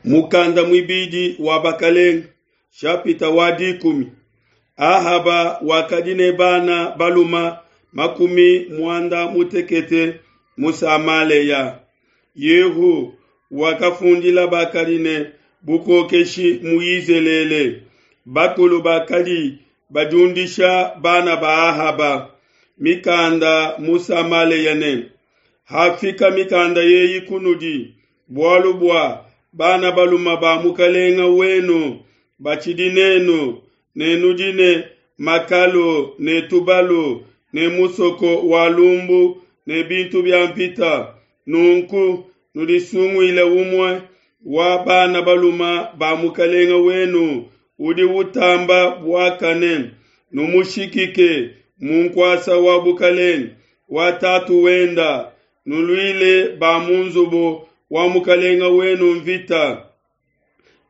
Mukanda muibidi wa Bakelenge, shapita wa dikumi. Ahaba wakadi ne bana balume makumi muanda mutekete mu Samalea. Yehu wakafundila bakadi ne bukokeshi mu Yizelele, bakulu bakadi badiundisha bana ba Ahaba mikanda mu Samalea ne, Hafika mikanda eyi kunudi, bualu bua bana balume ba mukelenge wenu batshidi nenu, ne nudi ne makalu ne tubalu ne musoko wa lumbu ne bintu bia nvita, nunku nudisunguile umue wa bana balume ba mukelenge wenu udi utamba buakane, numushikike mu nkuasa wa bukelenge wa tatu wenda, nuluile ba mu nzubu wa mukelenge wenu nvita.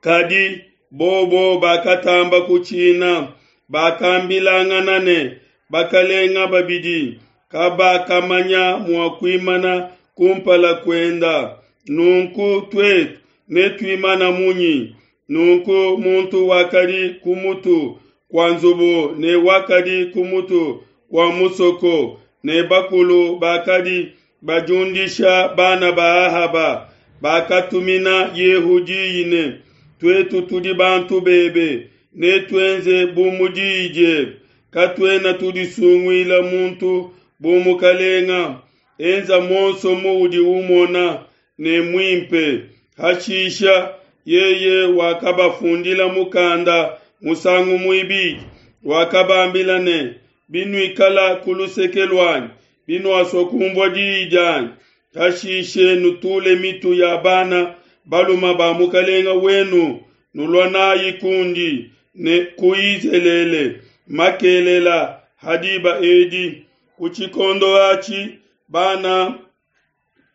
Kadi bobo bakatamba kutshina, bakambilangana ne, Bakelenge babidi kabakamanya mua kuimana kumpala kuenda, nunku tuetu netuimane munyi? Nunku muntu wakadi ku mutu kua nzubu ne wakadi ku mutu kua musoko ne bakulu bakadi badiundisha bana ba Ahaba bakatumina Yehu diyi ne, Tuetu tudi bantu bebe, netuenze bu mu diyi diebe, katuena tudisunguila muntu bu mukalenga. Enza muonso muudi umona ne muimpe. Hashisha yeye wakabafundila mukanda musangu muibidi, wakabambila ne, Binuikala ku luseke luanyi, binuasua kunvua diyi dianyi, hashishe nutule mitu ya bana balume ba mukelenge wenu, nulua n'ai kundi ne ku Yizelele makelela ha diba edi. Ku tshikondo atshi bana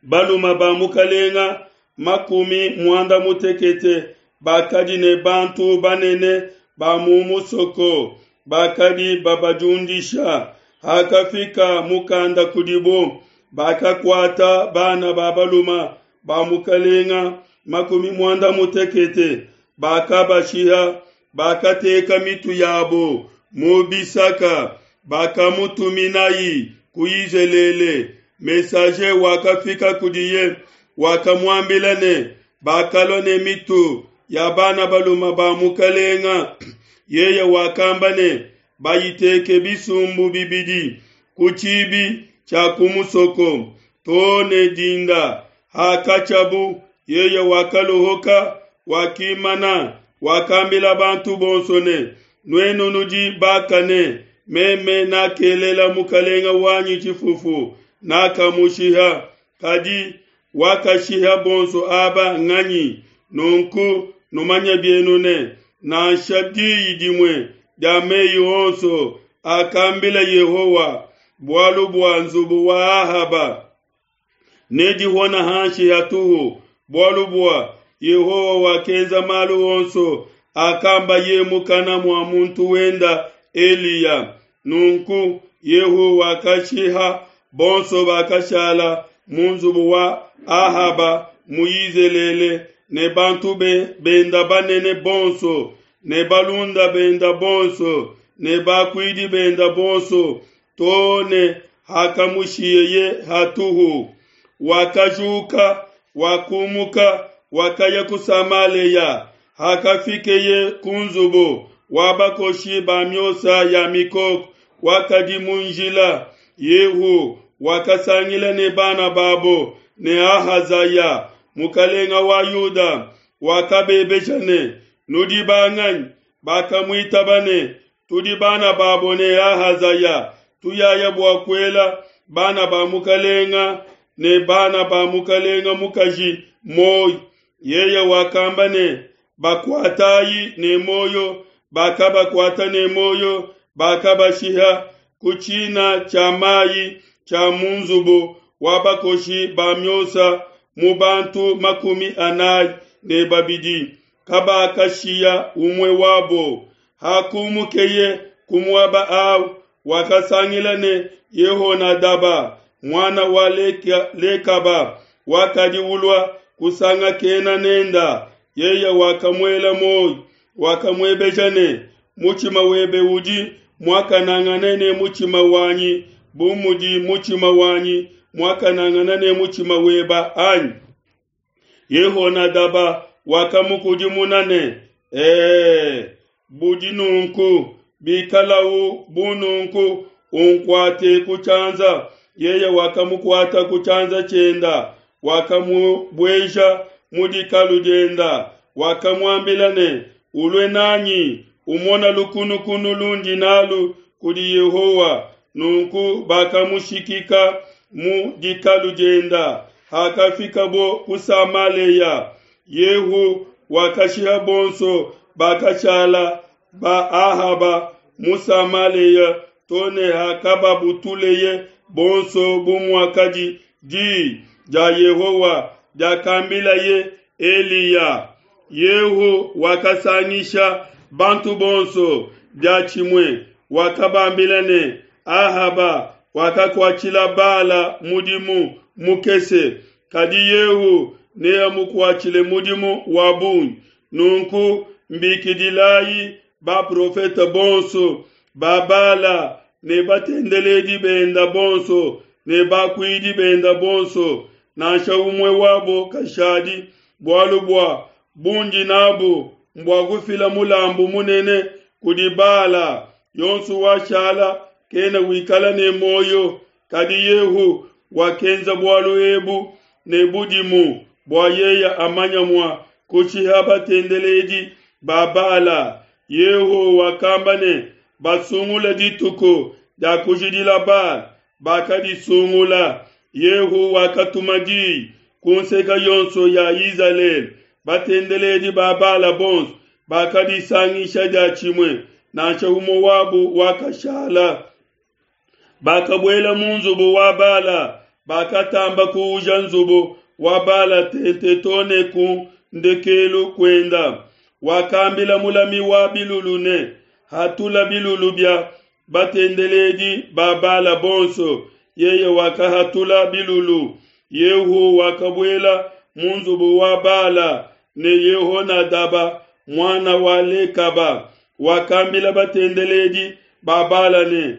balume ba mukelenge makumi muanda mutekete bakadi ne bantu banene ba mu musoko bakadi babadiundisha. Hakafika mukanda kudibo, bakakuata bana ba balume ba mukelenge makumi muanda mutekete, bakabashiha, bakateka mitu yabo mu bisaka, bakamutuminayi ku Yizelele. Messager wakafika kudiye, wakamuambila ne, Bakalua ne mitu ya bana balume ba mukelenge. Yeye wakamba ne, Bayiteke bisumbu bibidi ku tshibi tshia ku musoko to ne dinda. Hakatshiabu, yeye wakaluhuka, wakimana, wakambila bantu bonso ne, Nuenu nudi bakane, meme nakelela mukelenge wanyi tshifufu, nakamushiha, kadi wakashiha bonso aba nganyi? Nunku numanye bienu ne, Nansha diyi dimue dia mei onso akambila Yehowa bualu bua nzubu wa Ahaba nedihone hanshi hatuhu, bualu bua Yehowa wakenza malu onso akambaye mukana mua muntu wenda Eliya. Nunku Yehu wakashiha bonso bakashala mu nzubu wa Ahaba mu Yizelele ne bantu benda banene bonso ne balunda benda bonso ne bakuidi benda bonso to ne hakamushiyeye hatuhu. Wakajuka, wakumuka, wakaya ku Samalea. Hakafikeye ku nzubu wa bakoshi ba miosa ya mikoko wakadi mu njila, Yehu wakasangila ne bana babo ne Ahazaya, mukelenge wa Yuda, wakabebesha ne, Nudi banganyi? Bakamuitaba ne, Tudi bana babo ne Ahazaya, tuyaya bua kuela bana ba mukelenge ne bana ba mukelenge mukaji muoyo. Yeye wakamba ne, Bakuatayi ne muoyo. Bakabakuata ne muoyo, bakabashiha ku tshina tshia mai tshia mu nzubu wa bakoshi ba miosa mu bantu makumi anai ne babidi, kabakashiya umue wabo. Hakumukeye ku muaba au, wakasangila ne Yehonadaba, muana wa Lekaba, wakadi ulua kusangakena nenda. Yeye wakamuela muoyo, wakamuebeja ne, Mutshima webe udi muakanangane ne mutshima wanyi bu mudi mutshima wanyi muakanangane ne mutshima weba anyi? Yehonadaba wakamukudimuna ne, Ee, budi nunku, bikalau bu nunku, unkuate ku tshianza. Yeye wakamukuata ku tshianza tshienda, wakamubueja mu dikalu dienda, wakamuambila ne, Ulue nanyi, umona lukunukunu lundi nalu kudi Yehowa. Nunku bakamushikika mu dikalu dienda. Hakafikabo ku Samalea, Yehu wakashiha bonso bakashala ba Ahaba mu Samalea to ne hakababutuleye bonso bu muakadi di dia Yehowa diakambilaye Eliya. Yehu wakasangisha bantu bonso diatshimue, wakabambila ne, Ahaba wakakuatshila Bala mudimu mukese, kadi Yehu neamukuatshile mudimu wa bungi. Nunku mbikidilayi baprofete bonso ba Bala ne batendeledi benda bonso ne bakuidi benda bonso, nansha umue wabo kashadi, bualu bua bundi nabu mbua kufila mulambu munene kudi Bala. Yonso washala kena wikala ne muoyo. Kadi Yehu wakenza bualu ebu ne budimu bua yeye amanya mua kushiha batendeledi ba Bala. Yehu wakamba ne, Basungule dituku dia kujidila Bala. Bakadisungula. Yehu wakatuma diyi ku nseke yonso ya Izalele. Batendeledi ba Bala bonso bakadisangisha diatshimue, nansha umue wabu wakashala. Bakabuela mu nzubu wa Bala, bakatamba kuuja nzubu wa Bala tente to ne ku ndekelu kuenda. Wakambila mulami wa bilulu ne, Hatula bilulu bia batendeledi ba Bala bonso. Yeye wakahatula bilulu. Yehu wakabuela mu nzubu wa Bala ne Yehonadaba muana wa Lekaba. Wakambila batendeledi ba Bala ne,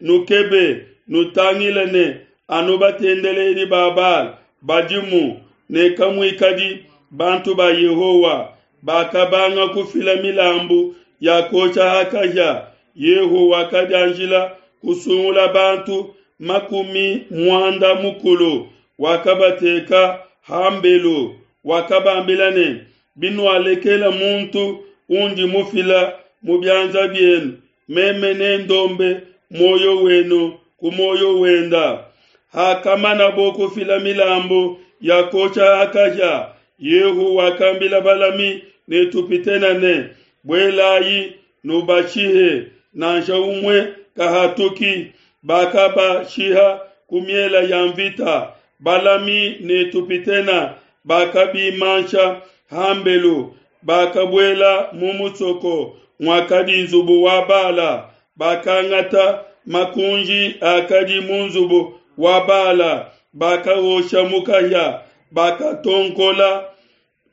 Nukebe, nutangile ne anu batendeledi ba Bala badimu, ne kamuikadi bantu ba Yehowa. Bakabanga kufila milambu ya kuosha ha kahia. Yehu wakadianjila kusungula bantu 40, wakabateka hambelu. Wakabambila ne, Binualekela muntu undi mufila mu bianza bienu, meme nendombe muoyo wenu ku muoyo wenda. Hakamanabo kufila milambu ya kuosha ha kahia, Yehu wakambila balami ne tupitena ne, Buelayi nubashihe, nansha umue kahatuki. Bakabashiha ku miela ya mvita. Balami ne tupitena bakabimansha hambelu, bakabuela mu musoko muakadi nzubu wa Bala, bakangata makunji akadi mu nzubu wa Bala, bakaosha mu kahia, bakatonkola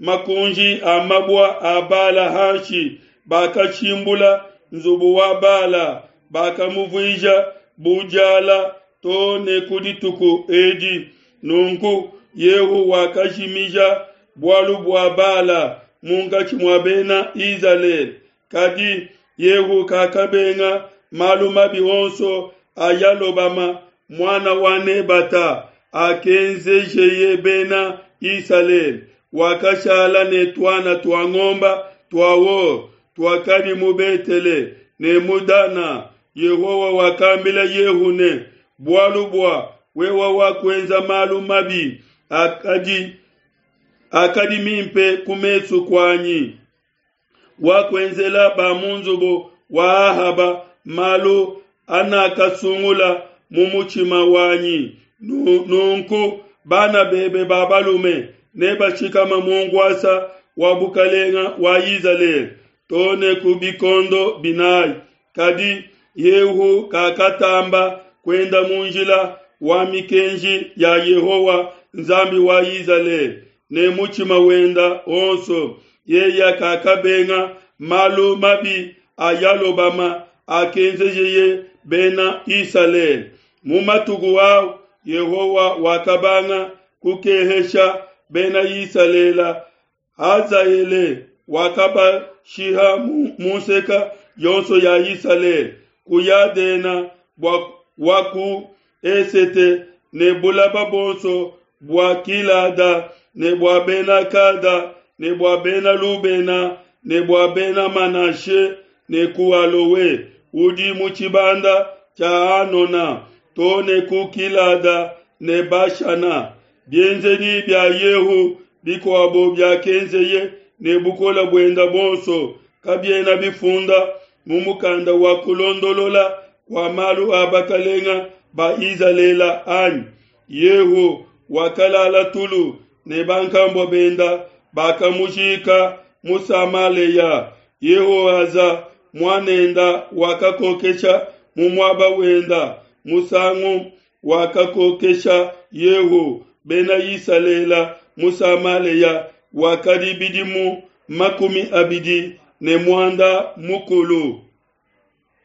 makunji a mabua a Bala hanshi, bakashimbula nzubu wa Bala, bakamuvuija bu diala to ne ku dituku edi. Nunku Yehu wakajimija bualu bua Bala munkatshi mua bena Izalele. Kadi Yehu kakabenga malu mabi onso a Yalobama muana wa Nebata akenzejeye bena Isalele. Wakashala ne tuana tua ngomba tua or tuakadi mu Betele ne mu Dana. Yehowa wakambila Yehu ne, Bualu bua wewe wakuenza malu mabi akadi akadi mimpe ku mesu kuanyi, wakuenzela ba mu nzubu wa Ahaba malu anakasungula mu mutshima wanyi. Nunku bana bebe ba balume nebashikama mu nkuasa wa bukalenga wa Izalele to ne ku bikondo binayi. Kadi Yehu kakatamba kuenda mu njila wa mikenji ya Yehowa Nzambi wa Izalele. ne mutshima wenda onso, yeya kakabenga malu mabi a Yalobama akenzejeye bena Isalele. Mu matuku au Yehowa wakabanga kukehesha bena Isalele. Hazaele wakabashiha mu nseka yonso ya Isalele, ku Yadena bua wa ku esete ne bulaba bonso bua Gilada ne bua bena Gada ne bua bena Lubena ne bua bena Manashe ne ku Alowe udi mu tshibanda tshia Anona to ne ku Gilada ne Bashana. Bienzedi bia Yehu bikuabo biakenzeye ne bukole buenda buonso kabiena bifunda mu mukanda wa kulondolola kua malu a bakalenga ba Izalele anyi? Yehu wakalala tulu ne bankambua benda bakamujika mu Samalea. Yehoaza muanenda wakakokesha mu muaba wenda musangu wakakokesha Yehu bena Isalele mu Samalea wakadi bidimu 25.